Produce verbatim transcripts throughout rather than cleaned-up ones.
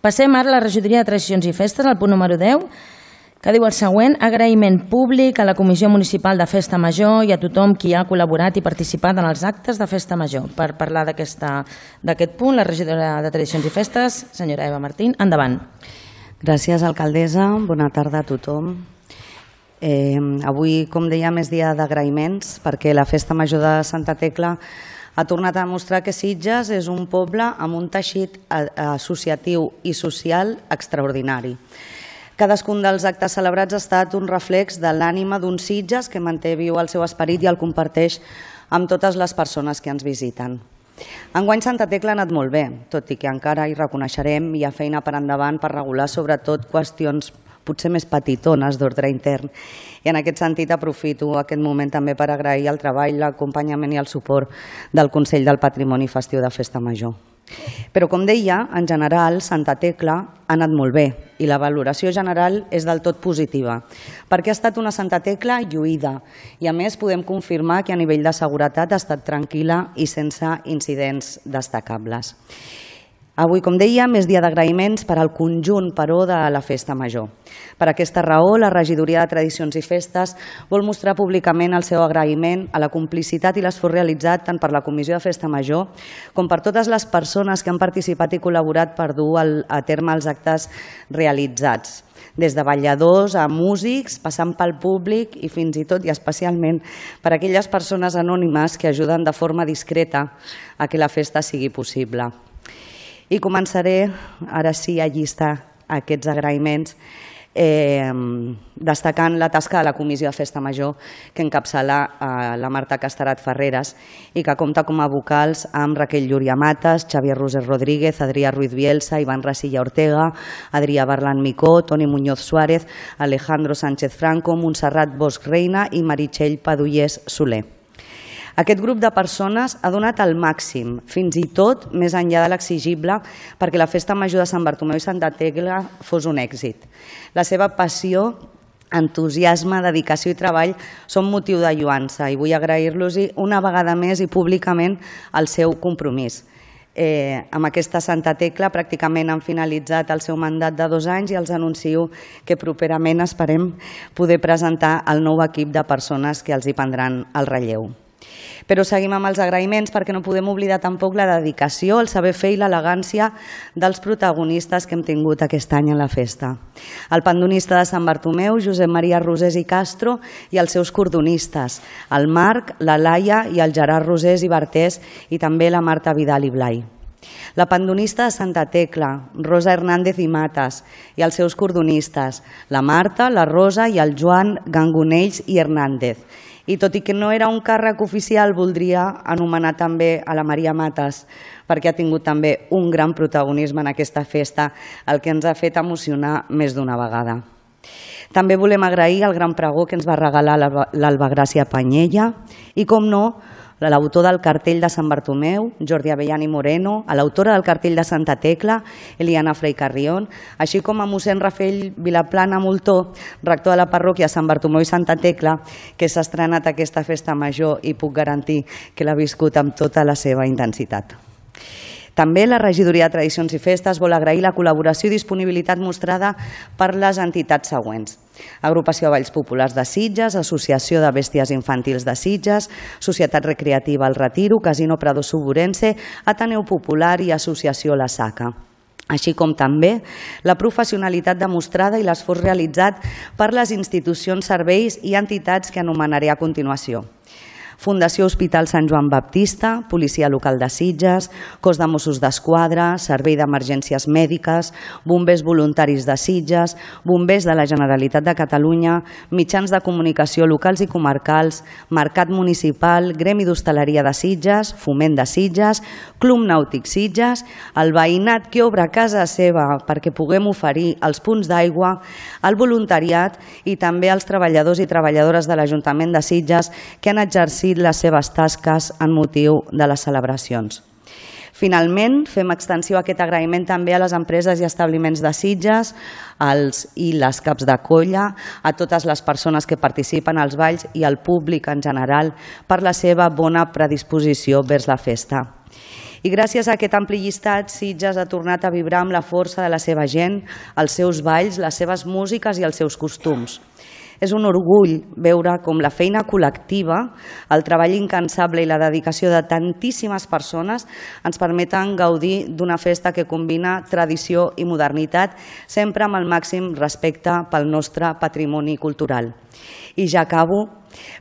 Passem ara a la regidoria de Tradicions i Festes, al punt número deu, que diu el següent: agraïment públic a la Comissió Municipal de Festa Major i a tothom qui ha col·laborat i participat en els actes de Festa Major. Per parlar d'aquest punt, la regidora de Tradicions i Festes, senyora Eva Martín, endavant. Gràcies, alcaldessa. Bona tarda a tothom. Eh, avui, com dèiem, és dia d'agraïments perquè la Festa Major de Santa Tecla ha tornat a demostrar que Sitges és un poble amb un teixit associatiu i social extraordinari. Cadascun dels actes celebrats ha estat un reflex de l'ànima d'un Sitges que manté viu el seu esperit i el comparteix amb totes les persones que ens visiten. Enguany Santa Tecla ha anat molt bé, tot i que encara hi reconeixerem hi ha feina per endavant per regular sobretot qüestions potser més petitones d'ordre intern. I en aquest sentit aprofito aquest moment també per agrair el treball, l'acompanyament i el suport del Consell del Patrimoni Festiu de Festa Major. Però, com deia, en general, Santa Tecla ha anat molt bé i la valoració general és del tot positiva, perquè ha estat una Santa Tecla lluïda i, a més, podem confirmar que a nivell de seguretat ha estat tranquil·la i sense incidents destacables. Avui, com dèiem, és dia d'agraïments per al conjunt, però, de la Festa Major. Per aquesta raó, la regidoria de Tradicions i Festes vol mostrar públicament el seu agraïment a la complicitat i l'esforç realitzat tant per la Comissió de Festa Major com per totes les persones que han participat i col·laborat per dur a terme els actes realitzats, des de balladors a músics, passant pel públic i fins i tot i especialment per aquelles persones anònimes que ajuden de forma discreta a que la festa sigui possible. I començaré, ara sí, a llistar aquests agraïments destacant la tasca de la Comissió de Festa Major que encapçala la Marta Casterat Ferreres i que compta com a vocals amb Raquel Llúria Matas, Xavier Roser Rodríguez, Adrià Ruiz Bielsa, Iván Rasilla Ortega, Adrià Barlan Micó, Toni Muñoz Suárez, Alejandro Sánchez Franco, Montserrat Bosch Reina i Meritxell Padullés Soler. Aquest grup de persones ha donat el màxim, fins i tot més enllà de l'exigible, perquè la Festa Major de Sant Bartomeu i Santa Tecla fos un èxit. La seva passió, entusiasme, dedicació i treball són motiu de lloança i vull agrair-los una vegada més i públicament el seu compromís. Amb aquesta Santa Tecla pràcticament han finalitzat el seu mandat de dos anys i els anuncio que properament esperem poder presentar el nou equip de persones que els hi prendran el relleu. Però seguim amb els agraïments perquè no podem oblidar tampoc la dedicació, el saber fer i l'elegància dels protagonistes que hem tingut aquest any en la festa. El pandonista de Sant Bartomeu, Josep Maria Rosés i Castro, i els seus cordonistes, el Marc, la Laia i el Gerard Rosés i Bartés i també la Marta Vidal i Blai. La pandonista de Santa Tecla, Rosa Hernández i Matas, i els seus cordonistes, la Marta, la Rosa i el Joan Gangonells i Hernández. I tot i que no era un càrrec oficial, voldria anomenar també a la Maria Matas, perquè ha tingut també un gran protagonisme en aquesta festa, el que ens ha fet emocionar més d'una vegada. També volem agrair el gran pregó que ens va regalar l'Alba Gràcia Panyella i, com no, a l'autor del cartell de Sant Bartomeu, Jordi Avellani Moreno, a l'autora del cartell de Santa Tecla, Eliana Frei Carrión, així com a mossèn Rafael Vilaplana Moltó, rector de la parròquia Sant Bartomeu i Santa Tecla, que s'ha estrenat aquesta festa major i puc garantir que l'ha viscut amb tota la seva intensitat. També la regidoria de Tradicions i Festes vol agrair la col·laboració i disponibilitat mostrada per les entitats següents: Agrupació de Balls Populars de Sitges, Associació de Bèsties Infantils de Sitges, Societat Recreativa El Retiro, Casino Prado Suburense, Ateneu Popular i Associació La Saca. Així com també la professionalitat demostrada i l'esforç realitzat per les institucions, serveis i entitats que anomenaré a continuació. Fundació Hospital Sant Joan Baptista, Policia Local de Sitges, Cos de Mossos d'Esquadra, Servei d'Emergències Mèdiques, Bombers Voluntaris de Sitges, Bombers de la Generalitat de Catalunya, Mitjans de Comunicació locals i comarcals, Mercat Municipal, Gremi d'Hostaleria de Sitges, Foment de Sitges, Club Nàutic Sitges, el veïnat que obre a casa seva perquè puguem oferir els punts d'aigua, el voluntariat i també els treballadors i treballadores de l'Ajuntament de Sitges que han exercit les seves tasques en motiu de les celebracions. Finalment, fem extensió a aquest agraïment també a les empreses i establiments de Sitges, als i les caps de colla, a totes les persones que participen als balls i al públic en general per la seva bona predisposició vers la festa. I gràcies a aquest ampli llistat, Sitges ha tornat a vibrar amb la força de la seva gent, els seus balls, les seves músiques i els seus costums. És un orgull veure com la feina col·lectiva, el treball incansable i la dedicació de tantíssimes persones ens permeten gaudir d'una festa que combina tradició i modernitat, sempre amb el màxim respecte pel nostre patrimoni cultural. I ja acabo.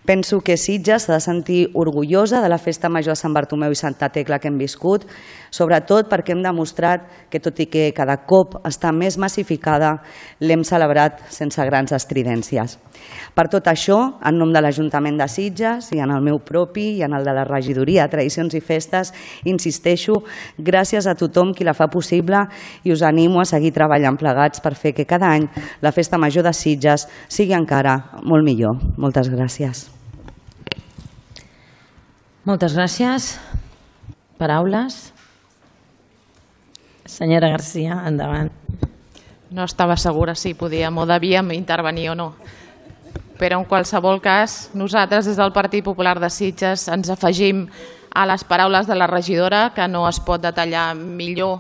Penso que Sitges s'ha de sentir orgullosa de la Festa Major de Sant Bartomeu i Santa Tecla que hem viscut, sobretot perquè hem demostrat que, tot i que cada cop està més massificada, l'hem celebrat sense grans estridències. Per tot això, en nom de l'Ajuntament de Sitges i en el meu propi i en el de la Regidoria de Tradicions i Festes, insisteixo, gràcies a tothom qui la fa possible i us animo a seguir treballant plegats per fer que cada any la Festa Major de Sitges sigui encara molt millor. Moltes gràcies. Moltes gràcies. Paraules? Senyora Garcia, endavant. No estava segura si podíem o devíem intervenir o no. Però en qualsevol cas, nosaltres des del Partit Popular de Sitges ens afegim a les paraules de la regidora, que no es pot detallar millor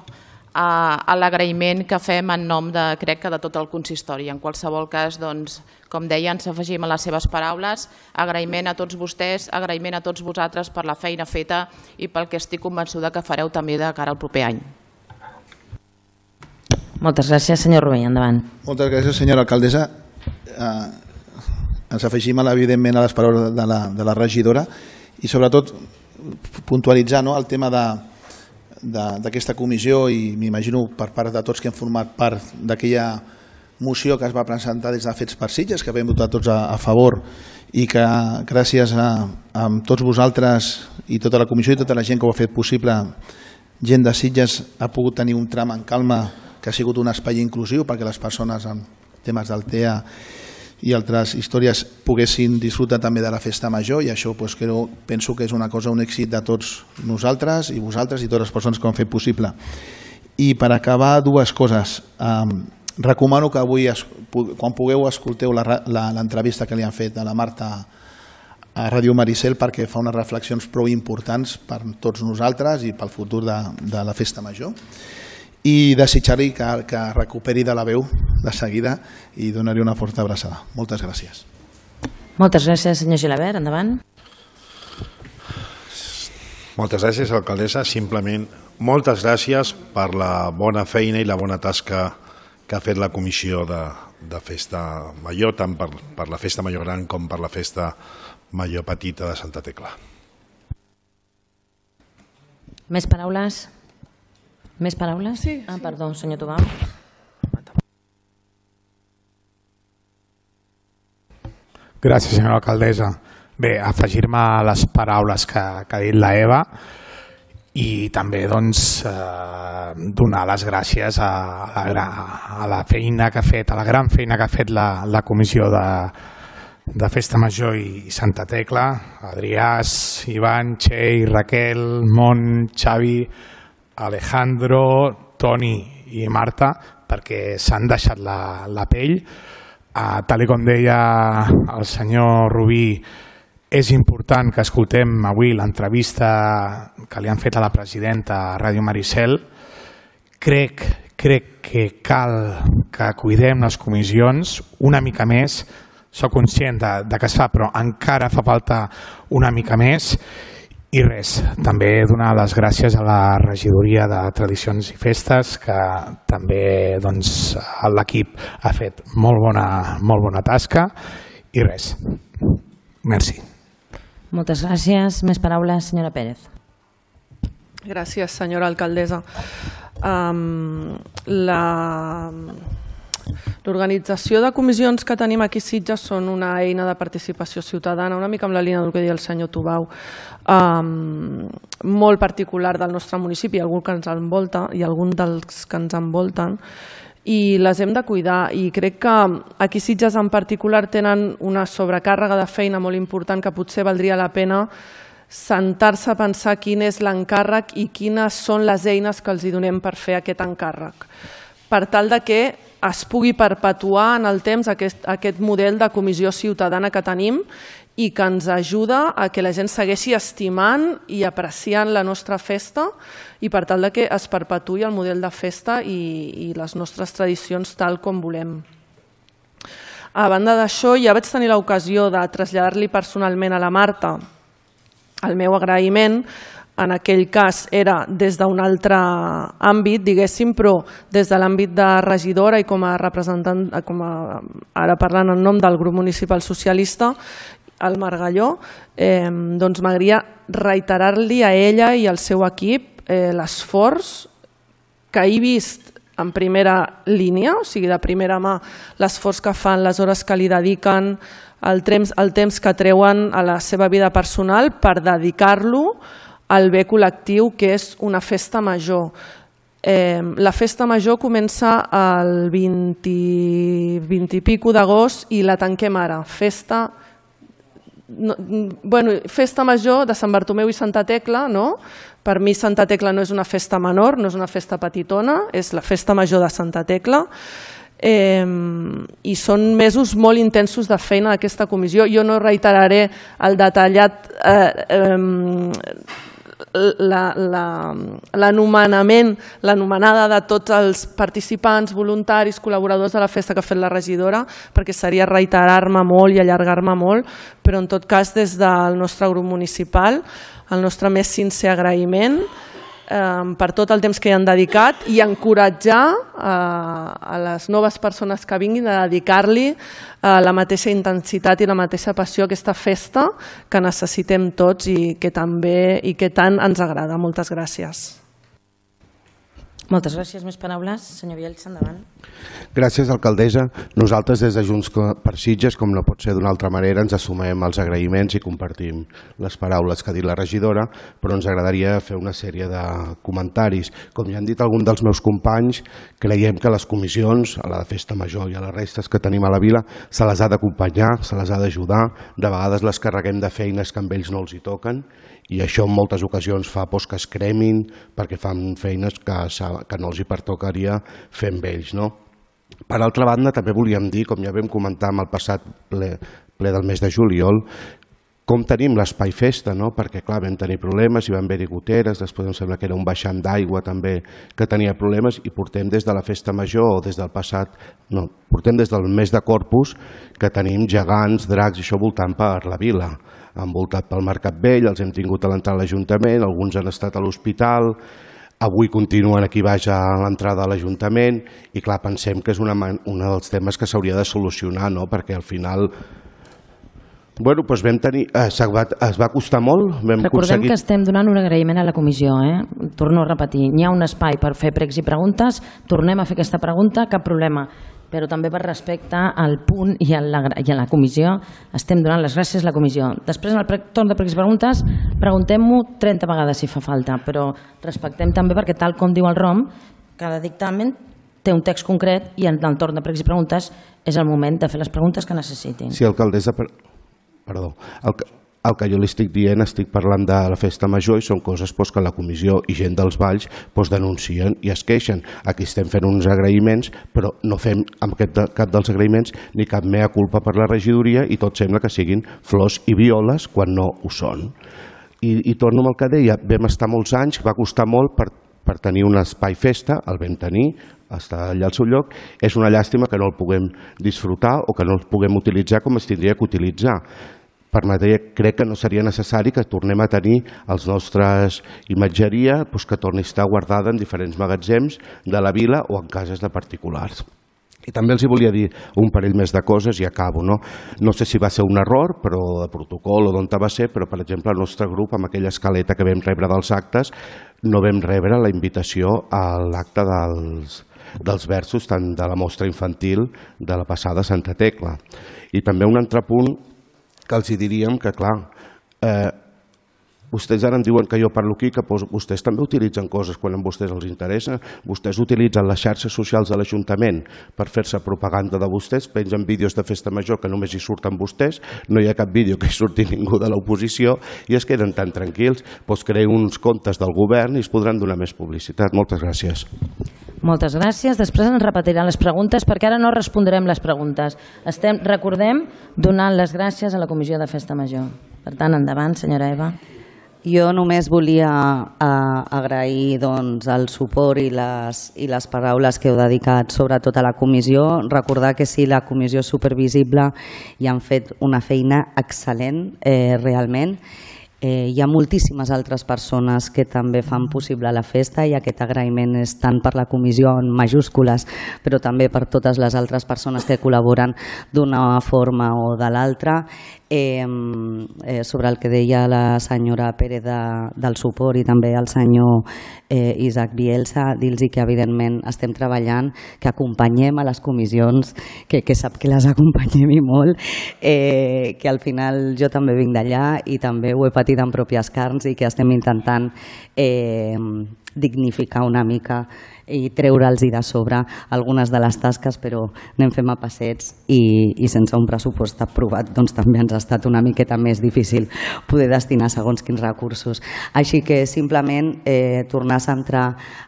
a l'agraïment que fem en nom de, crec que de tot el consistori. En qualsevol cas, doncs, com deia, ens afegim a les seves paraules, agraïment a tots vostès, agraïment a tots vosaltres per la feina feta i pel que estic convençuda que fareu també de cara al proper any. Moltes gràcies, senyor Rovell, endavant. Moltes gràcies, senyora alcaldessa. Eh, ens afegim, evidentment, a les paraules de la, de la regidora i sobretot puntualitzar, no, el tema de d'aquesta comissió i m'imagino per part de tots que hem format part d'aquella moció que es va presentar des de Fets per Sitges, que vam votar tots a, a favor i que gràcies a, a tots vosaltres i tota la comissió i tota la gent que ho ha fet possible, gent de Sitges ha pogut tenir un tram en calma que ha sigut un espai inclusiu perquè les persones amb temes del T E A i altres històries poguessin disfrutar també de la festa major i això pues, creo, penso que és una cosa, un èxit de tots nosaltres i vosaltres i totes les persones que ho han fet possible. I per acabar, dues coses. Um, recomano que avui, quan pugueu, escolteu l'entrevista que li han fet a la Marta a Ràdio Maricel perquè fa unes reflexions prou importants per tots nosaltres i pel futur de, de la festa major. I desitjar-li que, que recuperi de la veu de seguida i donar-li una forta abraçada. Moltes gràcies. Moltes gràcies, senyor Gilabert. Endavant. Moltes gràcies, alcaldessa. Simplement, moltes gràcies per la bona feina i la bona tasca que ha fet la comissió de, de festa major, tant per, per la festa major gran com per la festa major petita de Santa Tecla. Més paraules? Més paraules? Sí. Ah, perdó, senyor Tobau. Gràcies, senyora alcaldessa. Bé, afegir-me a les paraules que, que ha dit la Eva i també doncs, eh, donar les gràcies a, a, la, a la feina que ha fet, a la gran feina que ha fet la, la comissió de, de Festa Major i Santa Tecla, Adriàs, Ivan, Txell, Raquel, Mon, Xavi, Alejandro, Toni i Marta, perquè s'han deixat la, la pell. Uh, tal com deia el senyor Rubí, és important que escoltem avui l'entrevista que li han fet a la presidenta a Ràdio Maricel. Crec, crec que cal que cuidem les comissions una mica més. Soc conscient de, de que es fa, però encara fa falta una mica més. I res, també donar les gràcies a la regidoria de Tradicions i Festes, que també doncs, l'equip ha fet molt bona, molt bona tasca. I res, merci. Moltes gràcies. Més paraules, senyora Pérez. Gràcies, senyora alcaldessa. Um, la... L'organització de comissions que tenim aquí a Sitges són una eina de participació ciutadana, una mica amb la línia del que deia el senyor Tobau, um, molt particular del nostre municipi, algun que ens envolta i algun dels que ens envolten, i les hem de cuidar. I crec que aquí a Sitges en particular tenen una sobrecàrrega de feina molt important que potser valdria la pena sentar-se a pensar quin és l'encàrrec i quines són les eines que els hi donem per fer aquest encàrrec, per tal de que es pugui perpetuar en el temps aquest, aquest model de comissió ciutadana que tenim i que ens ajuda a que la gent segueixi estimant i apreciant la nostra festa i per tal que es perpetuï el model de festa i les nostres tradicions tal com volem. A banda d'això, ja vaig tenir l'ocasió de traslladar-li personalment a la Marta el meu agraïment. En aquell cas era des d'un altre àmbit, diguéssim, però des de l'àmbit de regidora i com a representant, com a, ara parlant en nom del grup municipal socialista, el Margalló, eh, doncs m'agradaria reiterar-li a ella i al seu equip eh, l'esforç que he vist en primera línia, o sigui, de primera mà, l'esforç que fan, les hores que li dediquen, el temps, el temps que treuen a la seva vida personal per dedicar-lo al bé col·lectiu, que és una festa major. Eh, la festa major comença el vint i pico d'agost i la tanquem ara. Festa, no, bueno, festa major de Sant Bartomeu i Santa Tecla, no? Per mi Santa Tecla no és una festa menor, no és una festa petitona, és la festa major de Santa Tecla. Eh, i són mesos molt intensos de feina d'aquesta comissió. Jo no reiteraré el detallat eh, eh, l'anomenament, l'anomenada de tots els participants, voluntaris, col·laboradors de la festa que ha fet la regidora, perquè seria reiterar-me molt i allargar-me molt, però en tot cas des del nostre grup municipal el nostre més sincer agraïment per tot el temps que hi han dedicat i encoratjar a les noves persones que vinguin a dedicar-li la mateixa intensitat i la mateixa passió a aquesta festa que necessitem tots i que també i que tant ens agrada. Moltes gràcies. Moltes gràcies. Més paraules? Senyor Bielsa, endavant. Gràcies, alcaldessa. Nosaltres des de Junts per Sitges, com no pot ser d'una altra manera, ens assumem els agraïments i compartim les paraules que ha dit la regidora, però ens agradaria fer una sèrie de comentaris. Com ja han dit alguns dels meus companys, creiem que les comissions, a la de Festa Major i a les restes que tenim a la vila, se les ha d'acompanyar, se les ha d'ajudar. De vegades les carreguem de feines que amb ells no els hi toquen i això en moltes ocasions fa que es cremin perquè fan feines que no els hi pertocaria fer amb ells. Per altra banda, també volíem dir, com ja vam comentar en el passat ple del mes de juliol, com tenim l'espai festa, perquè clar, vam tenir problemes, hi van haver-hi goteres, després em sembla que era un baixant d'aigua també que tenia problemes i portem des de la festa major o des del passat, no, portem des del mes de Corpus que tenim gegants, dracs i això voltant per la vila. Han voltat pel Mercat Vell, els hem tingut a l'entrada de l'Ajuntament, alguns han estat a l'hospital, avui continuen aquí baix a l'entrada de l'Ajuntament i clar, pensem que és un dels temes que s'hauria de solucionar, perquè al final bueno, doncs vam tenir, es va costar molt. Recordem que estem donant un agraïment a la comissió, eh? Torno a repetir, n'hi ha un espai per fer pregs i preguntes, tornem a fer aquesta pregunta, cap problema, però també per respecte al punt i a la comissió estem donant les gràcies a la comissió. Després en el torn de pregs i preguntes preguntem-ho trenta vegades si fa falta, però respectem també perquè tal com diu el R O M, cada dictamen té un text concret i en el torn de pregs i preguntes és el moment de fer les preguntes que necessitin. Sí, alcaldessa, perdó, el que jo li estic dient, estic parlant de la festa major i són coses que la comissió i gent dels Valls denuncien i es queixen. Aquí estem fent uns agraïments, però no fem amb cap dels agraïments ni cap mea culpa per la regidoria i tot sembla que siguin flors i violes quan no ho són. I torno amb el que deia, vam estar molts anys, va costar molt per tenir un espai festa, el vam tenir, està allà al seu lloc, és una llàstima que no el puguem disfrutar o que no el puguem utilitzar com es tindria que utilitzar. Per matèria, crec que no seria necessari que tornem a tenir els nostres imatgeria que torni a estar guardada en diferents magatzems de la vila o en cases de particulars. I també els volia dir un parell més de coses i acabo. No sé si va ser un error però de protocol o d'on va ser, però per exemple el nostre grup amb aquella escaleta que vam rebre dels actes no vam rebre la invitació a l'acte dels dels versos tant de la mostra infantil de la passada Santa Tecla. I també un altre punt que els diríem que, clar, vostès ara em diuen que jo parlo aquí, que vostès també utilitzen coses quan a vostès els interessa. Vostès utilitzen les xarxes socials de l'Ajuntament per fer-se propaganda de vostès, pengen vídeos de festa major que només hi surten vostès, no hi ha cap vídeo que hi surti ningú de l'oposició i es queden tan tranquils, doncs creen uns comptes del govern i es podran donar més publicitat. Moltes gràcies. Moltes gràcies. Després ens repetiran les preguntes perquè ara no respondrem les preguntes. Estem, recordem, donant les gràcies a la Comissió de Festa Major. Per tant, endavant, senyora Eva. Jo només volia eh, agrair doncs, el suport i les, i les paraules que heu dedicat sobretot a la comissió. Recordar que sí, la comissió és supervisible i han fet una feina excel·lent eh, realment. Eh, hi ha moltíssimes altres persones que també fan possible la festa i aquest agraïment és tant per la comissió en majúscules però també per totes les altres persones que col·laboren d'una forma o de l'altra. Eh, eh, sobre el que deia la senyora Pérez de, del suport i també el senyor eh, Isaac Bielsa, dir-los que evidentment estem treballant, que acompanyem a les comissions, que, que sap que les acompanyem i molt, eh, que al final jo també vinc d'allà i també ho he patit en pròpies carns i que estem intentant eh, dignificar una mica i treure'ls de sobre algunes de les tasques, però anem fent a passets i, i sense un pressupost aprovat doncs també ens ha estat una miqueta més difícil poder destinar segons quins recursos. Així que simplement eh, tornar a centrar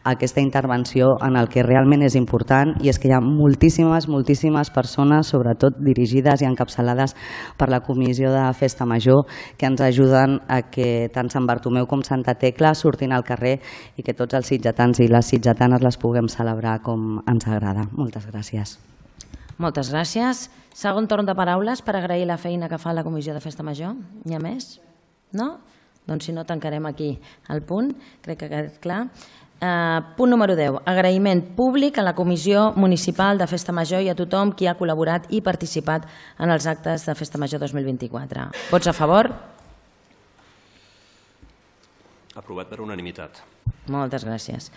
aquesta intervenció en el que realment és important i és que hi ha moltíssimes, moltíssimes persones, sobretot dirigides i encapçalades per la Comissió de Festa Major, que ens ajuden a que tant Sant Bartomeu com Santa Tecla surtin al carrer i que tots els sitgetans i les sitgetanes les puguem celebrar com ens agrada. Moltes gràcies. Moltes gràcies. Segon torn de paraules per agrair la feina que fa la Comissió de Festa Major. N'hi ha més? No? Doncs si no, tancarem aquí el punt. Crec que ha quedat clar. Uh, punt número deu. Agraïment públic a la Comissió Municipal de Festa Major i a tothom qui ha col·laborat i participat en els actes de Festa Major dos mil vint-i-quatre. Vots a favor? Aprovat per unanimitat. Moltes gràcies.